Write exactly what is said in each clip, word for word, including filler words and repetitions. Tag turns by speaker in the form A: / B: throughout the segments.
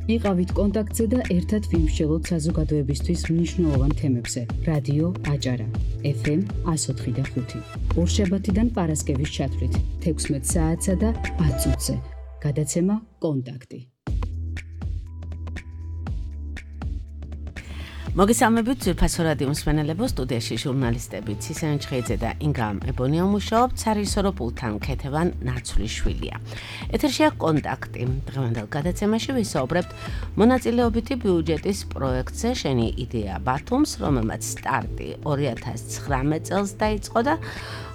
A: იყავით კონტაქტზე და ერთად ვიმსჯელოთ საზოგადოებისთვის მნიშვნელოვან თემებზე. რადიო აჭარა, ეფ ემ εκατო ოთხი და ხუთი. ორშაბათიდან პარასკევის ჩათვლით, თექვსმეტ საათსა და ათ წუთზე. გადაცემა კონტაქტი.
B: მოგესალმებით ძვირფასო რადიო მსმენელებო, სტუდიაში ჟურნალისტები ცისენ ჩხეიძე და ინგრამ ებონია მუშაობთ, სარისორო პულტთან ქეთევან ნაცვლიშვილია. ეთერშია კონტაქტი. დღევანდელ გადაცემაში ვისაუბრებთ მონაწილეობითი ბიუჯეტის პროექტზე შენი იდეა ბათუმს, რომელმაც სტარტი ორი ათას ცხრამეტ წელს დაიწყო და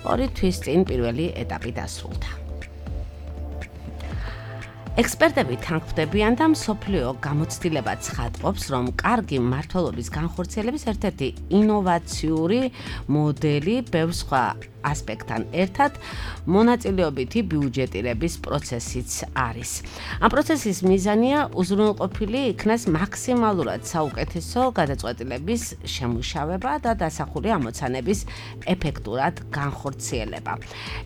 B: ორი თვის წინ პირველი ეტაპი დასრულდა. ექსპერტები თანხმდებიან და მსოფლიო გამოცდილება ცხადყოფს, რომ კარგი მმართველობის განხორციელების ერთ-ერთი ინოვაციური მოდელი ბევრ სხვა ასპექტთან ერთად მონაწილეობითი ბიუჯეტირების პროცესიც არის. ამ პროცესის მიზანია უზრუნველყოფილი იქნას მაქსიმალურად საუკეთესო გადაწყვეტილების შემუშავება და დასახული ამოცანების ეფექტურად განხორციელება.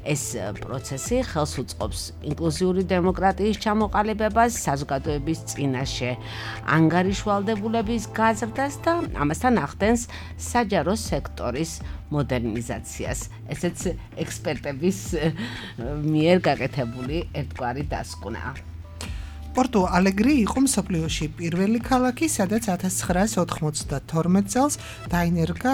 B: ეს პროცესი ხელს უწყობს ინკლუზიური დემოკრატიის ჩამოყალიბებას, საზოგადოების წინაშე ანგარიშვალდებულების გაზრდას და ამასთან ახდენს საჯარო სექტორის მოდერნიზაციას. ესეც ექსპერტების მიერ გაკეთებული ერთგვარი დასკვნაა.
C: პორტუ ალეგრი იყო მსოფლიოში პირველი ქალაქი, სადაც ათას ცხრაას ოთხმოცდათორმეტ წელს დაინერგა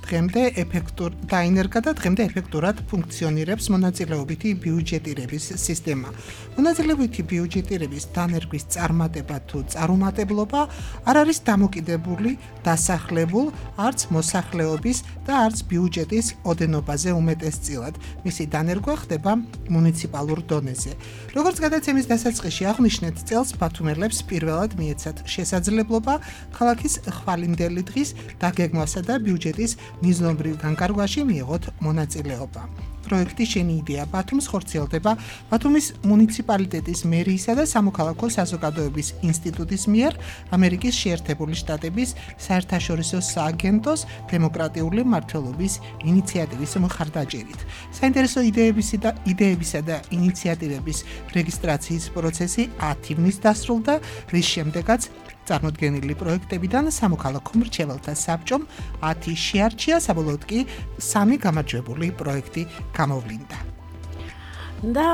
C: დღემდე ეფექტურ დაინერგა და დღემდე ეფექტურად ფუნქციონირებს მონაწილეობითი ბიუჯეტირების სისტემა. მონაწილეობითი ბიუჯეტირების დანერგვის წარმატება თუ წარუმატებლობა არ არის დამოკიდებული დასახლებულ არც მოსახლეობის და არც ბიუჯეტის ოდენობაზე უმეტესწილად. მისი დანერგვა ხდება მუნიციპალურ დონეზე. როგორც გადაცემის დასაწყისში აღვნიშნეთ, წელს ბათუმელებს პირველად მიეცათ შესაძლებლობა ქალაქის ხვალინდელი დღის დაგეგმვასა და ბიუჯეტის მიზნობრივ განკარგვაში მიიღოთ მონაწილეობა. პროექტი შენი იდეა ბათუმს ხორციელდება ბათუმის მუნიციპალიტეტის მერიისა და სამოქალაქო საზოგადოების ინსტიტუტის მიერ ამერიკის შეერთებული შტატების საერთაშორისო სააგენტოს დემოკრატიული მმართველობის ინიციატივის მხარდაჭერით. საინტერესო იდეებისა და იდეებისა და ინიციატივების რეგისტრაციის პროცესი ათ ივნის დასრულდა, რის შემდეგაც წარმოდგენილი პროექტებიდან სამოქალაქო მრჩეველთა საბჭომ ათი შეარჩია, საბოლოოდ კი სამი გამარჯვებული პროექტი გამოვლინდა.
B: და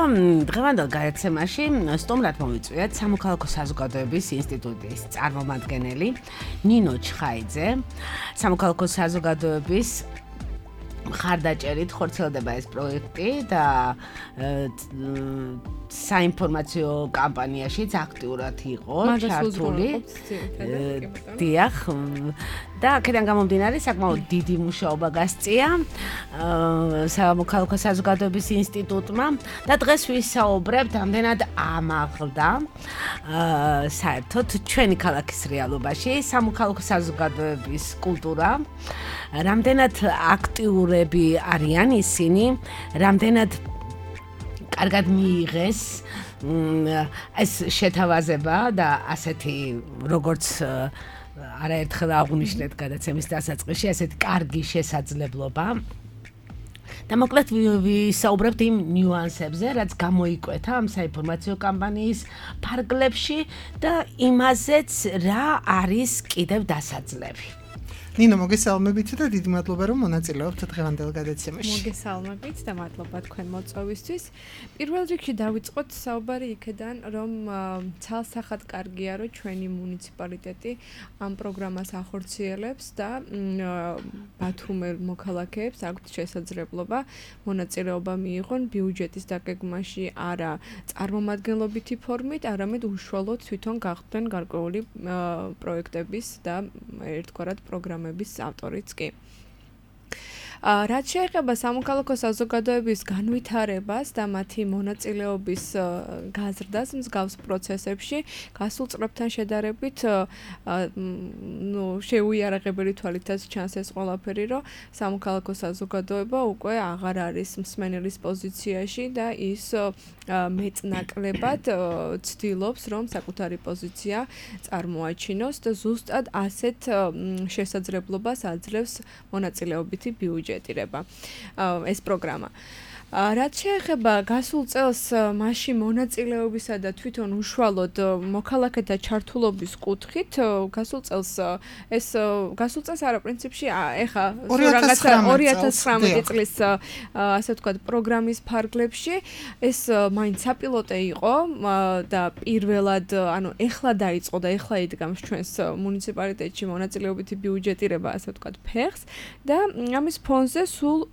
B: დღევანდელ გადაცემაში სტუმრად მოვიწვიეთ სამოქალაქო საზოგადოების ინსტიტუტის წარმომადგენელი ნინო ჩხაიძე. სამოქალაქო საზოგადოების მხარდაჭერით ხორციელდება ეს პროექტი და საინფორმაციო კამპანიაშიც აქტიურად იყო ჩართული. დიახ. და აქედან გამომდინარე საკმაოდ დიდი მუშაობა გასწია სამოქალაქო საზოგადოების ინსტიტუტმა და დღეს ვისაუბრებთ ამდენად ამაღლდა საერთოდ ჩვენი ქალაქის რეალობაში სამოქალაქო საზოგადოების კულტურა, რამდენად აქტიურები არიან ისინი, რამდენად კარგად მიიღეს ეს შეთავაზება და ასეთი როგორც არაერთხელ აღვნიშნეთ გადაცემის დასაწყისში, ასეთი კარგი შესაძლებლობა. და მოკლედ ვისაუბრებთ იმ ნიუანსებზე, რაც გამოიკვეთა ამ საინფორმაციო კამპანიის ფარგლებში და იმაზეც რა არის კიდევ დასაძლევი.
C: ნინო, მოგესალმებით და დიდი მადლობა, რომ მონაწილეობთ დღევანდელ გადაცემაში.
D: მოგესალმებით და მადლობა თქვენ მოწვევისთვის. პირველ რიგში დავიწყოთ საუბარი იქედან, რომ ცალსახად კარგია, რომ ჩვენი მუნიციპალიტეტი ამ პროგრამას ახორციელებს და ბათუმელ მოქალაქეებს აქვთ შესაძლებლობა მონაწილეობა მიიღონ ბიუჯეტის დაგეგმაში არა წარმომადგენლობითი ფორმით, არამედ უშუალოდ თვითონ გახდნენ გარკვეული პროექტების და ერთგვარად პროგრამების ავტორიც კი. რაც შეეხება სამოქალაქო საზოგადოების განვითარებას და მათი მონაწილეობის გაზრდას მსგავს პროცესებში, გასულ წლებთან შედარებით, ნუ შეუიარაღებელი თვალითაც ჩანს ეს ყველაფერი, რომ სამოქალაქო საზოგადოება უკვე აღარ არის მსმენელის პოზიციაში და ის მეწნაკლებად ცდილობს, რომ საკუთარი პოზიცია წარმოაჩინოს და ზუსტად ასეთ შესაძლებლობას აძლევს მონაწილეობითი ბიუჯეტირება ეს პროგრამა. რაც შეეხება გასულ წელს მასში მონაწილეობისა და თვითონ უშუალოდ მოქალაქეთა ჩართულობის კუთხით, გასულ წელს ეს გასულ წელს არა პრინციპში ეხა რაღაცა ორი ათას ცხრამეტი წლის ასე ვთქვათ პროგრამის ფარგლებში ეს მაინც საპილოტე იყო და პირველად ანუ ეხლა დაიწყო და ეხლა იდგამს ჩვენს მუნიციპალიტეტში მონაწილეობითი ბიუჯეტირება ასე ვთქვათ ფეხს და ამის ფონზე სულ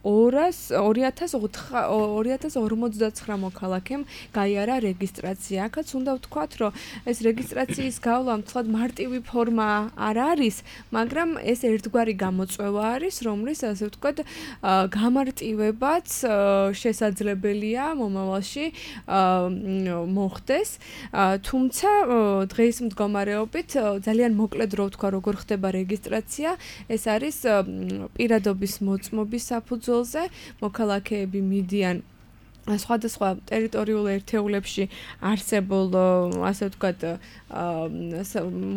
D: ორი ათას ორმოცდაცხრა მოქალაქემ გაიარა რეგისტრაცია. აქაც უნდა ვთქვათ, რომ ეს რეგისტრაციის გავლა მთლად მარტივი ფორმა არ არის, მაგრამ ეს ერთგვარი გამოწვევა არის, რომლის ასე ვთქვათ, გამარტივებაც შესაძლებელია მომავალში მოხდეს. თუმცა დღეის მდგომარეობით ძალიან მოკლედ რო ვთქვა, როგორ ხდება რეგისტრაცია, ეს არის პირადობის მოწმობის საფუძველზე, მოქალაქეები მიდიან სხვადასხვა ტერიტორიულ ერთეულებში არსებულ ასე ვთქვათ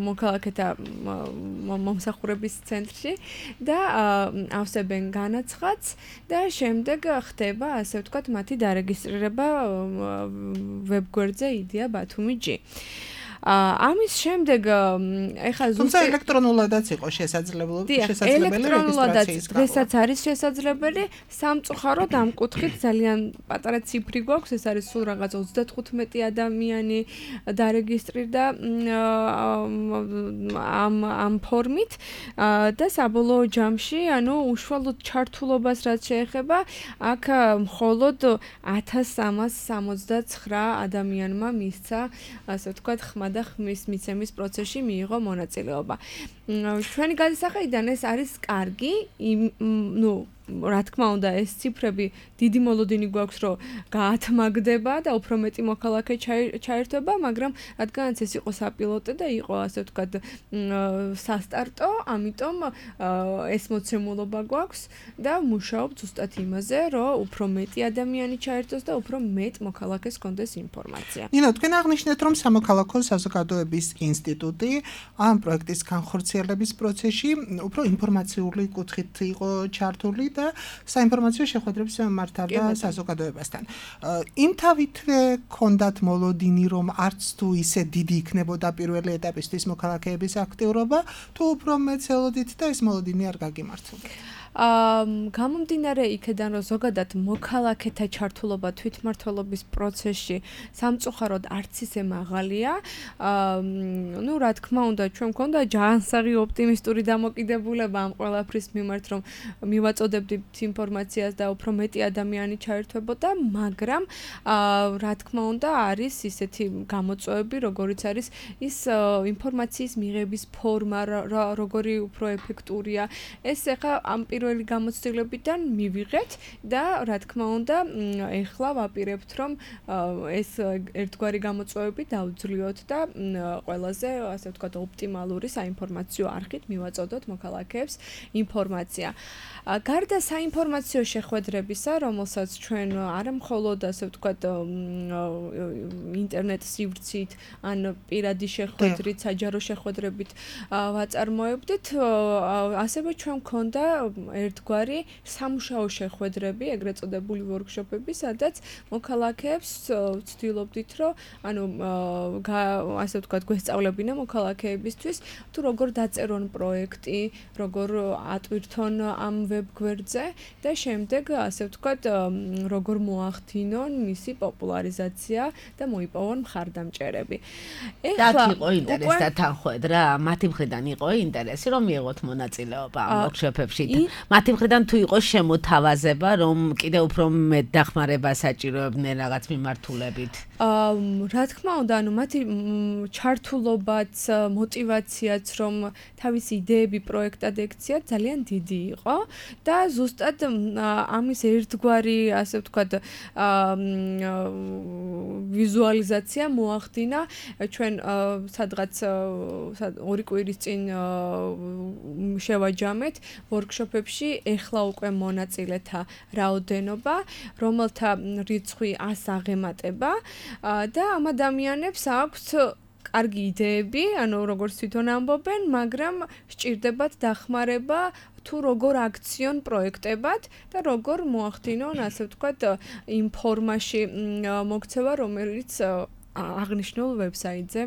D: მოქალაქეთა მომსახურების ცენტრში და ავსებენ განაცხადს და შემდეგ ხდება ასე ვთქვათ მათი დარეგისტრირება ვებგვერდზე იდეა ბათუმი ჯი. ამის შემდეგ ეხლა
C: თუმცა ელექტრონულადაც იყო შესაძლებელი შესაძლებელი რეგისტრაციის
D: დღესაც არის შესაძლებელი სამწუხაროდ ამ კუთხით ძალიან პატარა ციფრი გვაქვს ეს არის სულ რაღაც ოცდათხუთმეტი ადამიანი დარეგისტრირდა ამ ამ ფორმით და საბოლოო ჯამში ანუ უშუალოდ ჩართულობას რაც შეეხება აქ მხოლოდ ათას სამას სამოცდაცხრა ადამიანმა მისცა ასე ვთქვათ ხმა და ხმის მიცემის პროცესში მიიღო მონაწილეობა. ჩვენი გადასახედიდან ეს არის კარგი, ნუ რა თქმა უნდა ეს ციფრები დიდი მოლოდინი გვაქვს რომ გაათმაგდება და უფრო მეტი მოქალაქე ჩაერთვება, მაგრამ რადგანაც ეს იყო საპილოტე და იყო ასე ვთქვათ სასტარტო, ამიტომ ეს მოცემულობა გვაქვს და მუშაობ ზუსტად იმაზე, რომ უფრო მეტი ადამიანი ჩაერთოს და უფრო მეტ მოქალაქეს კონდეს ინფორმაცია.
C: ნინო, თქვენ აღნიშნეთ, რომ სამოქალაქო საზოგადოების ინსტიტუტი ამ პროექტის განხორციელების პროცესში უფრო ინფორმაციული კუთხით იყო ჩართული და საინფორმაციო შეხვედრებს მართავდა საზოგადოებასთან. იმ თავითვე ქონდათ მოლოდინი, რომ არც თუ ისე დიდი იქნებოდა პირველი ეტაპისთვის მოქალაქეების აქტიურობა, თუ უფრო მეც ელოდით და ეს მოლოდინი არ გაგიმართლდა.
D: გამომდინარე იქედან რომ ზოგადად მოქალაქეთა ჩართულობა თვითმმართველობის პროცესში სამწუხაროდ არც ისე მაღალია. ნუ რა თქმა უნდა ჩვენ მქონდა ჯანსაღი ოპტიმისტური დამოკიდებულება ამ ყველაფრის მიმართ რომ მივაწოდებდით ინფორმაციას და უფრო მეტი ადამიანი ჩაერთვებოდა, მაგრამ რა თქმა უნდა არის ისეთი გამოწვევები, როგორიც არის ის ინფორმაციის მიღების ფორმა, როგორი უფრო ეფექტურია. ეს ახლა ამ პირველი გამოცდილებიდან მივიღეთ და რა თქმა უნდა ეხლა ვაპირებთ რომ ეს ერთგვარი გამოწვევები დავძლიოთ და ყველაზე ასე ვთქვათ ოპტიმალური საინფორმაციო არხით მივაწოდოთ მოქალაქეებს ინფორმაცია. გარდა საინფორმაციო შეხვედრებისა, რომელსაც ჩვენ არა მხოლოდ ასე ვთქვათ ინტერნეტ სივრცით ან პირადი შეხვედრით, საჯარო შეხვედრებით ვაწარმოებდით, ასევე ჩვენ მქონდა ერთგვარი სამუშაო შეხვედრები, ეგრეთ წოდებული ვორქშოპები, სადაც მოქალაქეებს ვცდილობდით, რომ ანუ ასე ვთქვათ გვესწავლებინა მოქალაქეებისთვის, თუ როგორ დაწერონ პროექტი, როგორ ატვირთონ ამ ვებგვერდზე და შემდეგ ასე ვთქვათ როგორ მოახდინონ მისი პოპულარიზაცია და მოიპოვონ მხარდამჭერები.
B: ეხლა იყო ინტერესი და თანხმედრა, მათი მხრიდან იყო ინტერესი რომ მიიღოთ მონაწილეობა ამ ვორქშოპებში. მათი მხრიდან თუ იყო შემოთავაზება, რომ კიდევ უფრო მეტ დახმარება საჭიროებდნენ რაღაც მიმართულებით.
D: რა თქმა უნდა, ანუ მათი ჩართულობაც, мотиваციაც რომ თავისი იდეები პროექტად ექციათ ძალიან დიდი იყო და ზუსტად ამის ერთგვარი, ასე ვთქვათ, ვიზუალიზაცია მოახდინა ჩვენ სადღაც ორი კვირის წინ შევაჯამეთ ვორქშოპებში ეხლა უკვე მონაწილეთა რაოდენობა, რომელთა რიცხვი ას აღემატება და ამ ადამიანებს აქვთ კარგი იდეები, ანუ როგორც თვითონ ამბობენ, მაგრამ სჭირდებათ დახმარება თუ როგორ აქციონ პროექტებად და როგორ მოახდინონ, ასე ვთქვათ, იმ ფორმაში მოქცევა, რომელიც აღნიშნულ ვებსაიტზე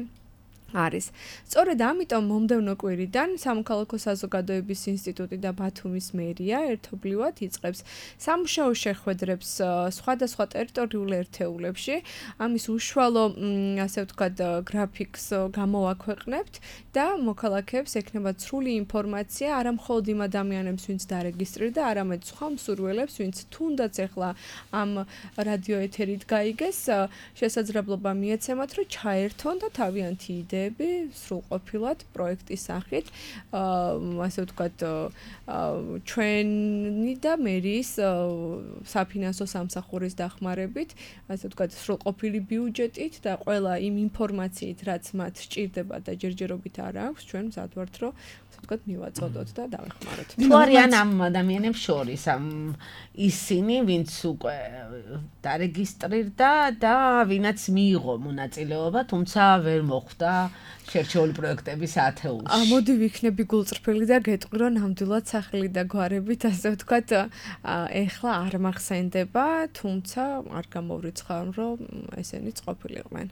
D: არის. სწორედ ამიტომ მომდევნო კვირიდან სამოქალაქო საზოგადოების ინსტიტუტი და ბათუმის მერია ერთობლივად იწყებს სამუშაო შეხვედრებს სხვადასხვა ტერიტორიულ ერთეულებში. ამის უშუალო, ასე ვთქვათ, გრაფიკს გამოვაქვეყნებთ და მოქალაქეებს ექნებათ სრული ინფორმაცია არა მხოლოდ იმ ადამიანებს, ვინც დარეგისტრირდა, არამედ სხვა მსურველებს, ვინც თუნდაც ახლა ამ რადიო ეთერით გაიგეს, შესაძლებლობა მიეცემათ, რომ ჩაერთონ და თავიანთი იდეები სრულყოფილად პროექტის სახით, ასე ვთქვათ, ჩვენი და მერიის საფინანსო სამსახურის დახმარებით, ასე ვთქვათ, სრულყოფილი ბიუჯეტით და ყველა იმ ინფორმაციით, რაც მათ სჭირდება და ჯერჯერობით არ აქვს, ჩვენ მზად ვართ, რომ ვთქვათ, მივაწოდოთ და დავეხმაროთ.
B: თუ არიან ამ ადამიანებს შორის, ამ ისინი, ვინც უკვე დარეგისტრირდა და ვინაც მიიღო მონაწილეობა, თუმცა ვერ მოხვდა შერჩეული პროექტების ათეულში.
D: მოდი ვიქნები გულწრფელი და გეტყვი, რომ ნამდვილად სახელი და გვარებით, ასე ვთქვათ, ეხლა არ მახსენდება, თუმცა არ გამოვრიცხავ, რომ ესენიც ყოფილიყვნენ.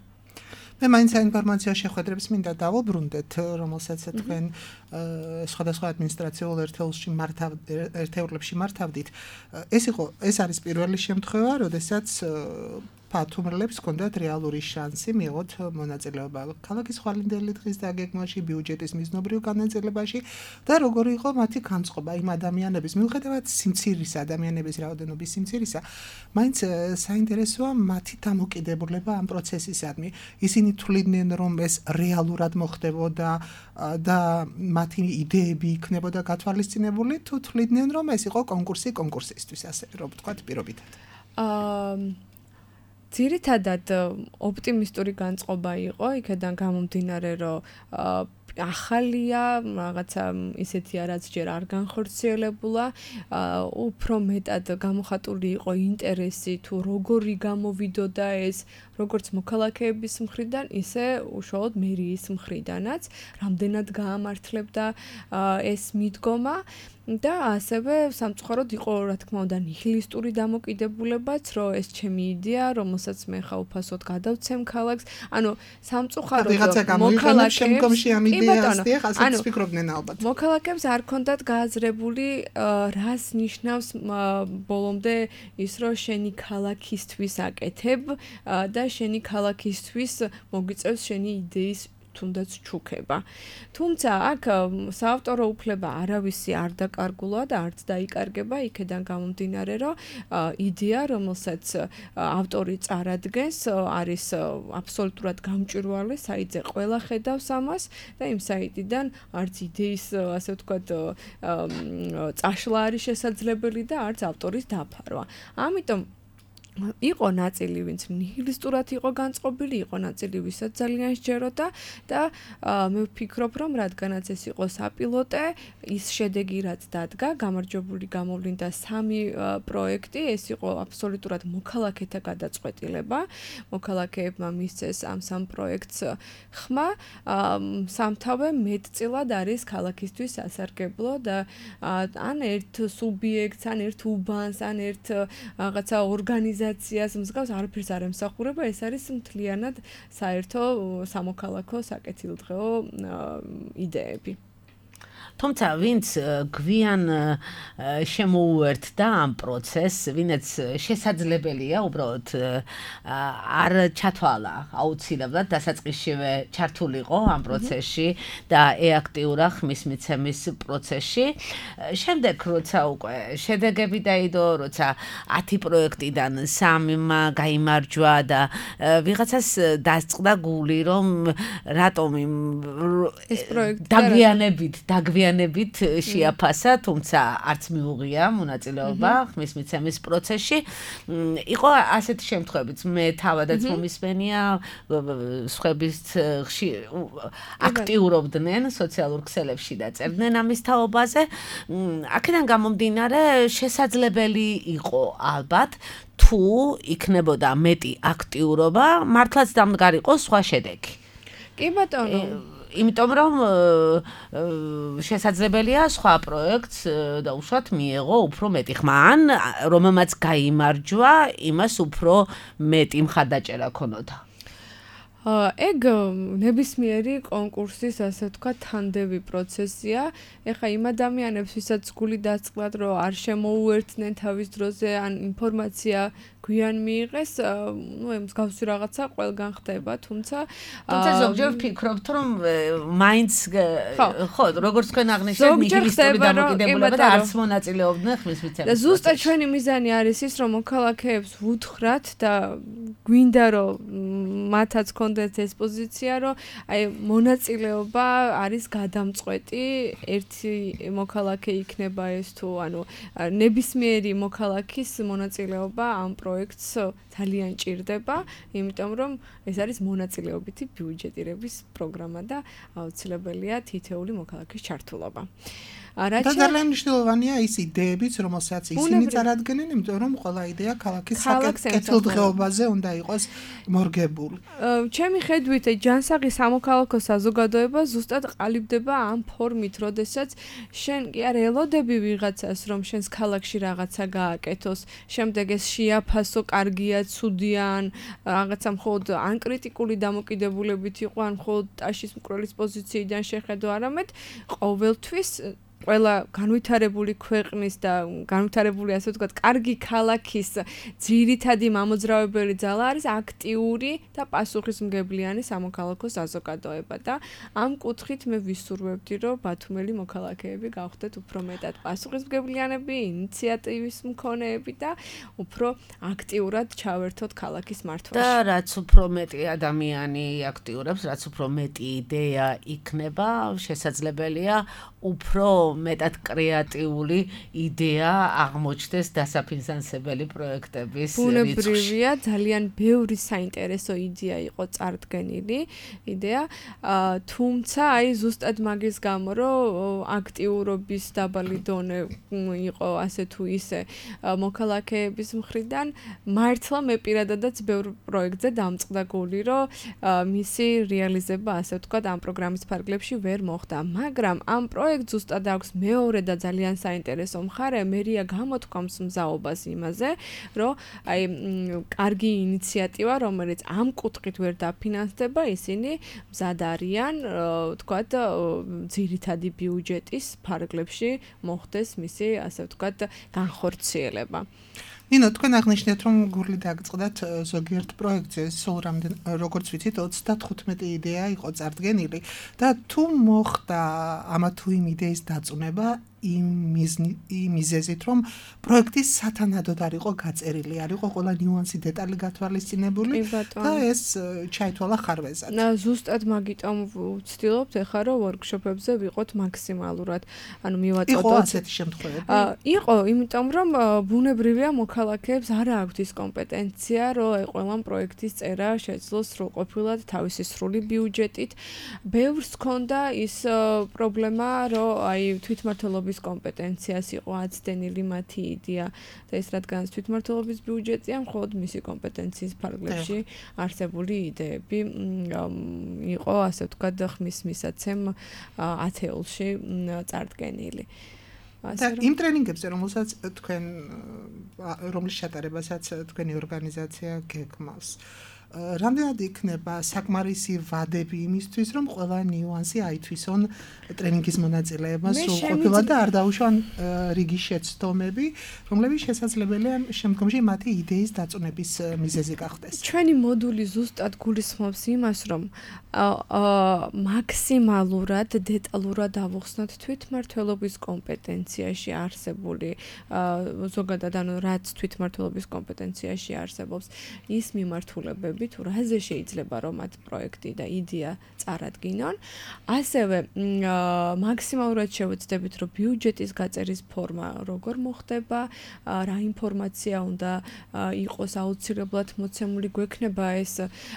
C: მე მაინც საინფორმაციო შეხვედრებს მინდა დავუბრუნდეთ, რომელსაც თქვენ სხვადასხვა ადმინისტრაციულ ერთეულში მართავ ერთეულებში მართავდით. ეს იყო ეს არის პირველი შემთხვევა, როდესაც ბათუმელებს ჰქონდათ რეალური შანსი მიიღოთ მონაწილეობა ქალაქის ხვალინდელი დღის დაგეგმვაში, ბიუჯეტის მიზნობრივ განაწილებაში და როგორი იყო მათი განწყობა იმ ადამიანების მიუხედავად სიმცირისა, ადამიანების რაოდენობის სიმცირისა, მაინც საინტერესოა მათი დამოკიდებულება ამ პროცესისადმი. ისინი თვლიდნენ, რომ ეს რეალურად მოხდებოდა და მათი იდეები იქნებოდა გათვალისწინებული, თუ თვლიდნენ, რომ ეს იყო კონკურსი კონკურსისთვის, ასე რომ ვთქვათ, პირობითად.
D: აა ძირითადად ოპტიმისტური განწყობა იყო, იქედან გამომდინარე, რომ ახალია, რაღაცა ისეთია, რაც ჯერ არ განხორციელებულა, უფრო მეტად გამოხატული იყო ინტერესი თუ როგორი გამოვიდოდა ეს, როგორც მოქალაქეების მხრიდან, ისე უშუალოდ მერიის მხრიდანაც, რამდენად გაამართლებდა ეს მიდგომა. და ასევე სამწუხაროდ იყო, რა თქმა უნდა, ნიჰილისტური დამოკიდებულებაც, რომ ეს ჩემი იდეა, რომელსაც მე ხა უფასოდ გადავცემ ქალაქს. ანუ სამწუხაროდ მოქალაქეებს მოქალაქეებს არ ქონდათ გააზრებული, რას ნიშნავს ბოლომდე ის, რომ შენი ქალაქისთვის აკეთებ და შენი ქალაქისთვის მოგიწევს შენი იდეის თუნდაც ჩუქება. თუმცა აქ საავტორო უფლება არავისი არ დაკარგულა და არც დაიკარგება, იქედან გამომდინარე, რომ იდეა, რომელსაც ავტორი წარადგენს, არის აბსოლუტურად გამჭვირვალე, საიტზე ყველა ხედავს ამას და იმ საიტიდან არც იდეის, ასე ვთქვათ, წაშლა არის შესაძლებელი და არც ავტორის დაფარვა. ამიტომ იყო ნაწილი, ვინც ნიჰილისტურად იყო განწყობილი, იყო ნაწილი, ვისაც ძალიან სჯეროდა და მე ვფიქრობ, რომ რადგანაც ეს იყო საპილოტე, ის შედეგი რაც დადგა, გამარჯვებული გამოვლინდა სამი პროექტი, ეს იყო აბსოლუტურად მოქალაქეთა გადაწყვეტილება. მოქალაქეებმა მისცეს ამ სამ პროექტს ხმა, სამთავე მეტწილად არის ქალაქისთვის სასარგებლო და ან ერთ სუბიექტს, ან ერთ უბანს, ან ერთ რაღაცა ორგანიზაციას მსგავს არაფერს არ ემსახურება, ეს არის მთლიანად საერთო სამოქალაქო საკეთილდღეო იდეები.
B: თუმცა ვინც გვიან შემოუერთდა ამ პროცესს, ვინაც შესაძლებელია უბრალოდ არ ჩათვალა აუცილებლად დასაწყისშივე ჩართულიყო ამ პროცესში და ეაქტიურა ხმის მიცემის პროცესში. შემდეგ როცა უკვე შედეგები დაიდო, როცა ათი პროექტიდან სამმა გაიმარჯვა და ვიღაცას დასწყდა გული, რომ რატომ
D: ეს პროექტი
B: დაგვიანებით დაგვიანებით შეაფასა, თუმცა არც მიუღია მონაწილეობა ხმის მიცემის პროცესში. იყო ასეთი შემთხვევებიც, მე თავადაც მომისმენია, სხვების აქტიურობდნენ სოციალურ ქსელებში და წერდნენ ამის თაობაზე. აქედან გამომდინარე, შესაძლებელი იყო ალბათ, თუ იქნებოდა მეტი აქტიურობა, მართლაც დამდგარიყო სხვა შედეგი.
D: კი ბატონო.
B: იმიტომ რომ შესაძლებელია სხვა პროექტს და უშუალოდ მიეღო უფრო მეტი ხმა ან რომელმაც გაიმარჯვა იმას უფრო მეტი მხარდაჭერა ქონოდა.
D: ეგ ნებისმიერი კონკურსის ასე თქვა თანდევი პროცესია. ეხა იმ ადამიანებს ვისაც გული დაწყლათ რომ არ შემოუერთდნენ თავის დროზე ან ინფორმაცია გვიან მიიღეს, ну, ემს გავსი რაღაცა ყველგან ხდება, თუმცა
B: თუმცა ზოგჯერ ვფიქრობთ რომ მაინც ხო, როგორც თქვენ აღნიშნეთ, ნიჰილისტური დამოკიდებულება და არც მონაწილეობდნენ ხმის მიცემაში.
D: და ზუსტად ჩვენი მიზანი არის ის, რომ მოქალაქეებს ვუთხრათ და გვინდა რომ მათაც კონდეთ ეს პოზიცია, რომ აი მონაწილეობა არის გადამწყვეტი, ერთი მოქალაქე იქნება ეს თუ ანუ ნებისმიერი მოქალაქის მონაწილეობა ამ პროექტს ძალიან ჭირდება, იმიტომ რომ ეს არის მონაწილეობითი ბიუჯეტირების პროგრამა და აუცილებელია თითეული მოქალაქის ჩართულობა.
C: და ძალიან მნიშვნელოვანია ის იდეებიც, რომელსაც ისინი წარადგენენ, იმიტომ რომ ყველა იდეა ქალაქის კეთილდღეობაზე უნდა იყოს მორგებული.
D: ჩემი ხედვით, ჯანსაღი სამოქალაქო საზოგადოება ზუსტად ყალიბდება ამ ფორმით, როდესაც შენ კი არ ელოდები ვიღაცას, რომ შენს ქალაქში რაღაცა გააკეთოს, შემდეგ ეს შეაფასო, კარგია, ცუდია, ან რაღაცა მხოლოდ ან კრიტიკული დამოკიდებულებით იყო, ან მხოლოდ ტაშის მკვლელის პოზიციიდან შეხედო, არამედ ყოველთვის ყველა განვითარებული ქვეყნის და განვითარებული ასე ვთქვათ, კარგი ქალაქის ძირითადი მამოძრავებელი ძალა არის აქტიური და პასუხისმგებლიანი სამოქალაქო საზოგადოება და ამ კუთხით მე ვისურვებდი, რომ ბათუმელი მოქალაქეები გავხდეთ უფრო მეტად პასუხისმგებლიანები, ინიციატივის მქონეები და უფრო აქტიურად ჩავერთოთ ქალაქის მართვაში.
B: და რაც უფრო მეტი ადამიანი აქტიურებს, რაც უფრო მეტი იდეა იქნება, შესაძლებელია უფრო მეტად კრეატიული იდეა აღმოჩნდეს დასაფინანსებელი პროექტების რიცხვში.
D: ბუნებრივია, ძალიან ბევრი საინტერესო იდეა იყო წარდგენილი, იდეა, თუმცა აი ზუსტად მაგის გამო, რომ აქტიურობის დაბალი დონე იყო ასე თუ ისე მოქალაქეების მხრიდან, მართლა მე პირადადაც ბევრ პროექტზე დამწყდა გული, რომ მისი რეალიზება ასე ვთქვათ ამ პროგრამის ფარგლებში ვერ მოხდა, მაგრამ ამ პროექტს ზუსტად აქვს მეორე და ძალიან საინტერესო მხარე, მერია გამოთქვამს მზაობას იმაზე, რომ აი კარგი ინიციატივა, რომელიც ამ კუთხით ვერ დაფინანსდება, ისინი მზად არიან, ვთქვათ, ძირითადი ბიუჯეტის ფარგლებში მოხდეს მისი, ასე ვთქვათ, განხორციელება.
C: ნინო, თქვენ აღნიშნეთ, რომ გული დაგწყდათ ზოგიერთ პროექტზე, სულ რამდენ, როგორც ვიცით, ოცდათხუთმეტი იდეა იყო წარდგენილი და თუ მოხდა ამა თუ იმ იდეის დაწუნება იმ მიზეზით, რომ პროექტი სათანადოდ არ იყო გაწერილი, არ იყო ყველა ნიუანსი, დეტალი გათვალისწინებული და ეს ჩაითვალა ხარვეზად.
D: ზუსტად მაგიტომ ვცდილობთ ახლა, რომ ვორქშოპებზე ვიყოთ მაქსიმალურად, ანუ მივაწოდოთ.
C: იყო ასეთი შემთხვევები?
D: იყო, იმიტომ რომ ბუნებრივია მოქალაქეებს არ აქვთ ის კომპეტენცია, რომ აი ყველა პროექტის წერა შეძლოს სრულყოფილად თავისი სრული ბიუჯეტით. ბევრს ჰქონდა ის პრობლემა, რომ აი თვითმმართველობის კომპეტენციას იყო აცდენილი მათი იდეა და ეს რადგანაც თვითმმართველობის ბიუჯეტია, მხოლოდ მისი კომპეტენციის ფარგლებში არსებული იდეები იყო, ასე ვთქვათ, ხმის მისაცემ ათეულში წარდგენილი.
C: და იმ ტრენინგებზე, რომელსაც თქვენ რომლის ჩატარებასაც თქვენი ორგანიზაცია გეგმავს, რამდენად იქნება საკმარისი ვადები იმისთვის, რომ ყველა ნიუანსი აითვისონ ტრენინგის მონაწილეებას სრულყოფილად და არ დაუშვან რიგი შეცდომები, რომლებიც შესაძლებელია შემდგომში მათი იდეის დაწუნების მიზეზი გახდეს.
D: ჩვენი მოდული ზუსტად გულისხმობს იმას, რომ მაქსიმალურად დეტალურად ავუხსნათ თვითმმართველობის კომპეტენციაში არსებული ზოგადად ანუ რაც თვითმმართველობის კომპეტენციაში არსებობს ის მიმართულებები თუ რაზე შეიძლება რომ მათ პროექტი და იდეა წარადგინონ, ასევე მაქსიმალურად შევეცდებით რომ ბიუჯეტის გაწერის ფორმა როგორ მოხდება, რა ინფორმაცია უნდა იყოს აუცილებლად მოცემული, გვექნება ეს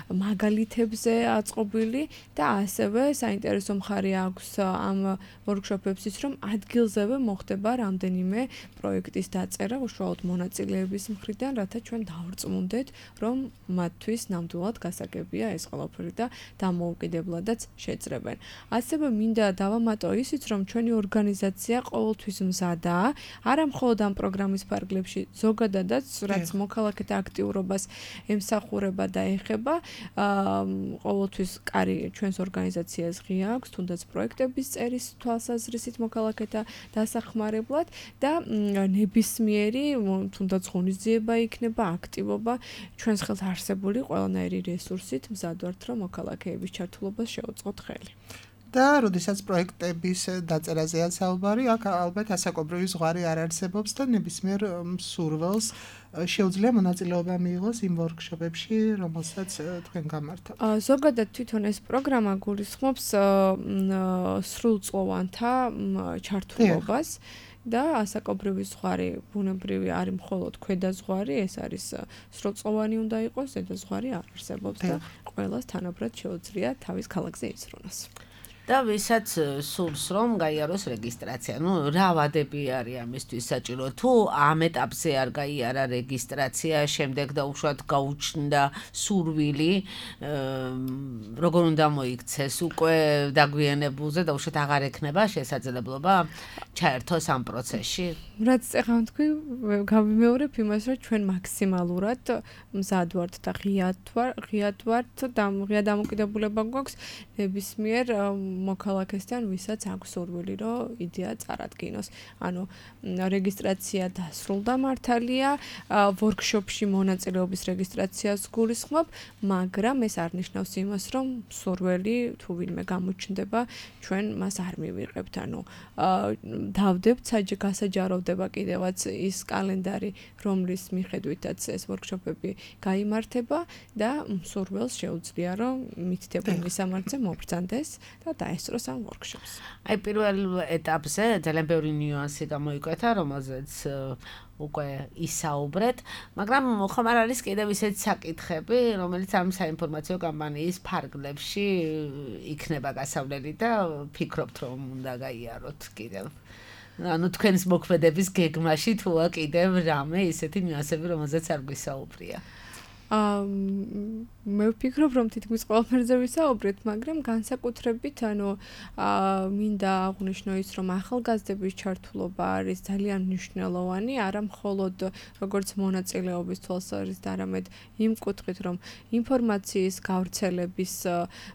D: მაგალითებზე აწყობილი და ასევე საინტერესო მხარე აქვს ამ ვორქშოპებსის, რომ ადგილზევე მოხდება რამდენიმე პროექტის დაწერა უშუალოდ მონაწილეების მხრიდან, რათა ჩვენ დავრწმუნდეთ, რომ მათთვის ნამდვილად გასაგებია ეს ყველაფერი და დამოუკიდებლადაც შეძრებენ. ასევე მინდა დავამატო ისიც, რომ ჩვენი ორგანიზაცია ყოველთვის მზადაა, არა მხოლოდ ამ პროგრამის ფარგლებში, ზოგადადაც, რაც მოქალაქეთა აქტიურობას ემსახურება და ეხება, ყოველთვის კარი ჩვენს ორგანიზაციას ღია აქვს, თუნდაც პროექტების წერის თვალსაზრისით მოქალაქეთა დასახმარებლად და ნებისმიერი თუნდაც ღონისძიება იქნება, აქტივობა ჩვენს ხელთ არსებული ყველანაირი რესურსით მზად ვართ, რომ მოქალაქეების ჩართულობას შევუწყოთ ხელი.
C: და როდესაც პროექტების დაწერაზეა საუბარი, აქ ალბათ ასაკობრივი ზღვარი არ არსებობს და ნებისმიერ მსურველს შეუძლია მონაწილეობა მიიღოს იმ ვორქშოპებში, რომელსაც თქვენ გამართავთ.
D: ზოგადად თვითონ ეს პროგრამა გულისხმობს სრულწლოვანთა ჩართულობას და ასაკობრივი ზღვარი ბუნებრივი არის მხოლოდ ქვედა ზღვარი, ეს არის სრულწლოვანი უნდა იყოს, ზედა ზღვარი არ არსებობს და ყველას თანაბრად შეუძლია თავის ქალაქზე იზრუნოს.
B: და ვისაც სურს რომ გაიაროს რეგისტრაცია. ნუ რა ვადები არის ამისთვის საჭირო? თუ ამ ეტაპზე არ გაიარა რეგისტრაცია, შემდეგ და უშუალოდ გაუჩნდა სურვილი, როგორ უნდა მოიქცეს? უკვე დაგვიანებულზე და უშუალოდ აღარ ექნება შესაძლებლობა ჩაერთოს ამ პროცესში?
D: რაც ეხლა თქვი, გავიმეორებ იმას, რომ ჩვენ მაქსიმალურად მზად ვართ და ღიად ვართ და ღია დამოკიდებულება გვაქვს ნებისმიერ მოქალაქესთან, ვისაც აქვს სურვილი, რომ იდეა წარადგინოს. ანუ რეგისტრაცია დასრულდა მართალია, ვორქშოპში მონაწილეობის რეგისტრაციას გულისხმობ, მაგრამ ეს არ ნიშნავს იმას, რომ სურვილი თუ ვინმე გამოჩნდება, ჩვენ მას არ მივიღებთ. ანუ დავდებთ გასაჯაროვდება კიდევაც ის კალენდარი, რომლის მიხედვითაც ეს ვორქშოპები გაიმართება და სურველს შეუძლია, რომ მითითებულ მისამართზე მობრძანდეს და დაესწროს ამ ვორქშოპს.
B: აი პირველ ეტაპზე ძალიან ბევრი ნიუანსი გამოიკვეთა, რომელზეც უკვე ისაუბრეთ, მაგრამ ხომ არ არის კიდევ ისეთი საკითხები, რომელიც ამ საინფორმაციო კამპანიის ფარგლებში იქნება გასავლელი და ფიქრობთ, რომ უნდა გაიაროთ კიდევ. ანუ თქვენს მოქმედების გეგმაში თუა კიდევ რამე ისეთი ნიუანსები, რომელზეც არ გვისაუბრია.
D: აა მე ვფიქრობ, რომ თითქმის ყველაფერზე ვისაუბრეთ, მაგრამ განსაკუთრებით, ანუ აა მინდა აღვნიშნო ის, რომ ახალგაზრდების ჩართულობა არის ძალიან მნიშვნელოვანი, არა მხოლოდ როგორც მონაწილეობის თვალსაზრისით, არამედ იმ კუთხით, რომ ინფორმაციის გავრცელების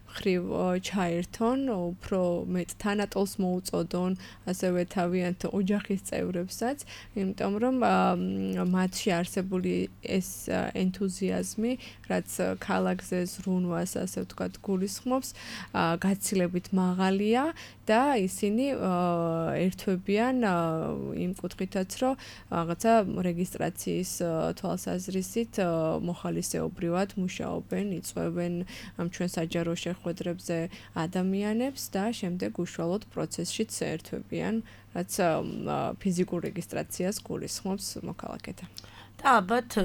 D: მხრივ ჩაერთონ, უფრო მეტ თანატოლს მოუწოდონ, ასევე თავიანთ ოჯახის წევრებსაც, იმიტომ რომ მათში არსებული ეს ენთუზიაზმი, რაც ქალაქზე ზრუნვას, ასე ვთქვათ, გულისხმობს, გაცილებით მაღალია და ისინი ერთვებიან იმ კუთხითაც, რომ რაღაცა რეგისტრაციის თვალსაზრისით მოხალისეობრივად მუშაობენ, იწვევენ ამ ჩვენ საჯარო შეხვედრებზე ადამიანებს და შემდეგ უშუალოდ პროცესშიც ერთვებიან, რაც ფიზიკურ რეგისტრაციას გულისხმობს მოქალაქეთა.
B: და ალბათ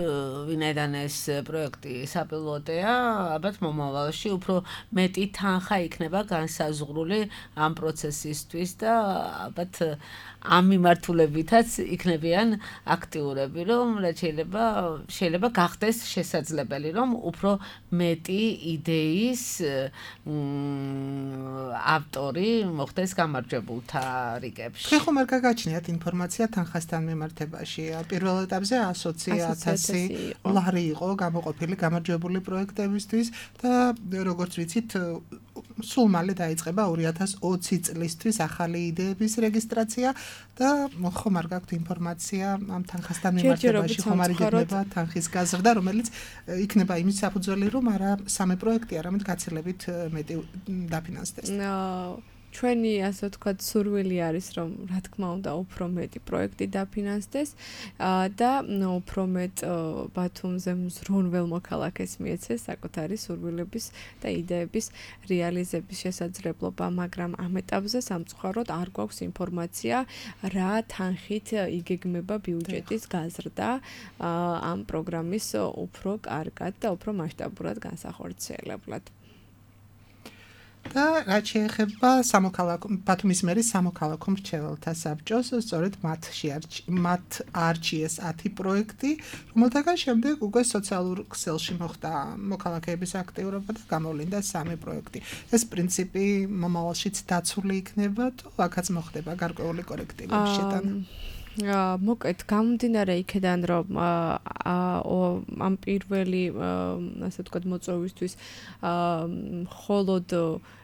B: ვინაიდან ეს პროექტი საპილოტეა, ალბათ მომავალში უფრო მეტი თანხა იქნება განსაზღვრული ამ პროცესისთვის და ალბათ ამ მიმართულებითაც იქნებიან აქტიურები, რომ რაც შეიძლება შეიძლება გახდეს შესაძლებელი, რომ უფრო მეტი იდეის ავტორი მოხდეს გამარჯვებულთა რიგებში.
C: თქვენ ხომ არ გაგაჩნიათ ინფორმაცია თანხასთან მიმართებაში? პირველ ეტაპზე ათი ათასი ლარი იყო გამოყოფილი გამარჯვებული პროექტებისთვის და როგორც ვიცით, სულ მალე დაიწყება ორი ათას ოცი წლისთვის ახალი იდეების რეგისტრაცია და ხომ არ გაქვთ ინფორმაცია ამ თანხასთან მიმართებაში, ხომ არ იგებნება თანხის გაზრდა, რომელიც იქნება იმის საფუძველი, რომ არა სამი პროექტი, არამედ გაცილებით მეტი დაფინანსდეს.
D: ჩვენი, ასე ვთქვათ, სურვილი არის, რომ რა თქმა უნდა, უფრო მეტი პროექტი დაფინანსდეს და უფრო მეტ ბათუმზე მზრუნველ მოქალაქეს მიეცეს საკუთარი სურვილების და იდეების რეალიზების შესაძლებლობა, მაგრამ ამ ეტაპზე სამწუხაროდ არ გვაქვს ინფორმაცია, რა თანხით იგეგმება ბიუჯეტის გაზრდა ამ პროგრამის უფრო კარგად და უფრო მასშტაბურად განსახორციელებლად.
C: და რაც შეეხება სამოქალაქო ბათუმის მერის სამოქალაქო მრჩეველთა საბჭოს, სწორედ მათში მათ არჩიეს ათი პროექტი, რომელთაგან შემდეგ უკვე სოციალურ ქსელში მოხდა მოქალაქეების აქტიურობა და გამოვლინდა სამი პროექტი. ეს პრინციპი მომავალშიც დაცული იქნება, თუ აქაც მოხდება გარკვეული კორექტივების შეტანა.
D: მოკეთ გამომდინარე იქედან რომ ამ პირველი ასე ვთქვათ მოწვევისთვის მხოლოდ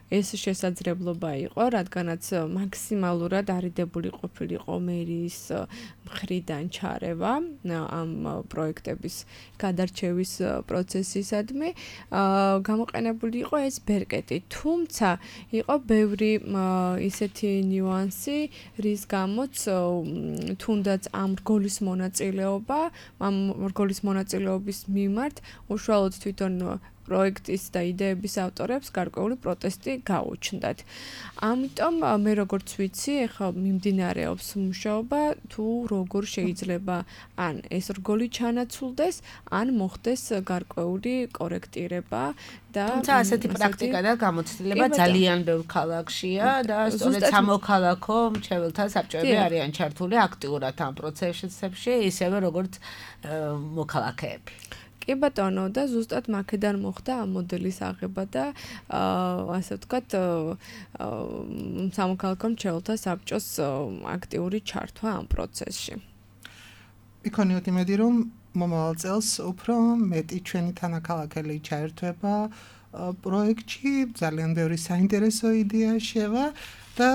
D: ეს შესაძლებლობა იყო, რადგანაც მაქსიმალურად არიდებული ყოფილიყო მერის მხრიდან ჩარევა ამ პროექტების გადარჩევის პროცესისადმი, გამოყენებული იყო ეს ბერკეტი, თუმცა იყო ბევრი ისეთი ნიუანსი, რის გამოც თუნდაც ამ რგოლის მონაწილეობა, ამ რგოლის მონაწილეობის მიმართ უშუალოდ თვითონ პროექტის და იდეების ავტორებს გარკვეული პროტესტი გაუჩნდათ. ამიტომ მე როგორც ვიცი, ეხლა მიმდინარეობს მუშაობა, თუ როგორ შეიძლება ან ეს რგოლი ჩანაცვლდეს, ან მოხდეს გარკვეული კორექტირება და
B: თუმცა ასეთი პრაქტიკა და გამოცდილება ძალიან ბევრ ქალაქშია და სწორედ სამოქალაქო მრჩეველთა საბჭოები არიან ჩართული აქტიურად ამ პროცესებში, ისევე როგორც მოქალაქეები.
D: კი ბატონო და ზუსტად მაქედან მოხდა ამ მოდელის აღება და ასე ვთქვათ სამოქალაქო მრჩეველთა საბჭოს აქტიური ჩართვა ამ პროცესში.
C: იქონიოთ იმედი რომ მომავალ წელს უფრო მეტი ჩვენი თანაქალაქელი ჩაერთვება პროექტში, ძალიან ბევრი საინტერესო იდეა შევა და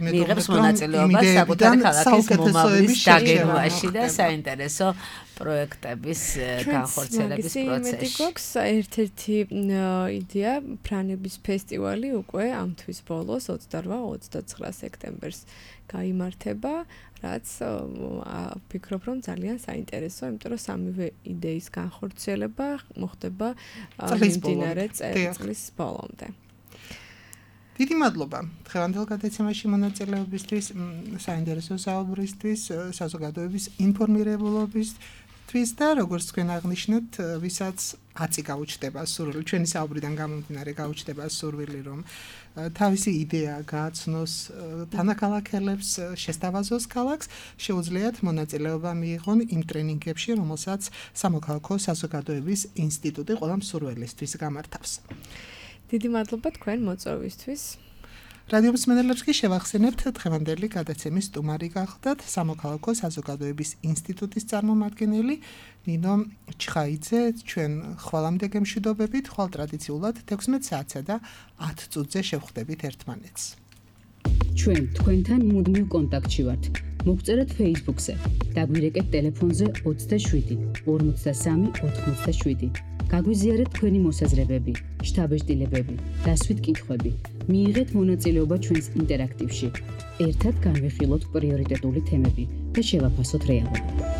B: მიიღებს მონაწილეობას საკუთარი ქალაქის მომავლის დაგეგმვაში და საინტერესო პროექტების განხორციელების პროცესში.
D: გვაქვს ერთ-ერთი იდეა ფრანების ფესტივალი უკვე ამ თვის ბოლოს ოცდარვა ოცდაცხრა სექტემბერს გაიმართება, რაც ვფიქრობ რომ ძალიან საინტერესო, იმიტომ რომ სამივე იდეის განხორციელება მოხდება მიმდინარე წლის ბოლომდე.
C: დიდი მადლობა დღევანდელ გადაცემაში მონაწილეობისთვის, საინტერესო საუბრისთვის, საზოგადოების ინფორმირებულობისთვის და როგორც თქვენ აღნიშნეთ, ვისაც აცი გაუჩნდება სურვილი, ჩვენი საუბრიდან გამომდინარე გაუჩნდება სურვილი, რომ თავისი იდეა გააცნოს თანაქალაქელებს, შესთავაზოს ქალაქს, შეუძლიათ მონაწილეობა მიიღონ იმ ტრენინგებში, რომელსაც სამოქალაქო საზოგადოების ინსტიტუტი ყველა მსურველისთვის გამართავს.
D: დიდი მადლობა თქვენ მოწვევისთვის.
C: რადიო მსმენელებს კი შევახსენებთ დღევანდელი გადაცემის სტუმარი გახლდათ სამოქალაქო საზოგადოების ინსტიტუტის წარმომადგენელი ნინო ჩხაიძე. ჩვენ ხვალამდე გემშვიდობებით, ხვალ ტრადიციულად თექვსმეტ საათსა და ათ წუთზე შევხვდებით ერთმანეთს.
A: ჩვენ თქვენთან მუდმივ კონტაქტში ვართ. მოგწერეთ Facebook-ზე, დაგვირეკეთ ტელეფონზე ოცდაშვიდი ორმოცდასამი ოთხმოცდაშვიდი. გაგვიზიარეთ თქვენი მოსაზრებები, შთაბეჭდილებები, დასვით კითხვები. მიიღეთ მონაწილეობა ჩვენს ინტერაქტივში. ერთად განვიხილოთ პრიორიტეტული თემები და შევაფასოთ რეალობა.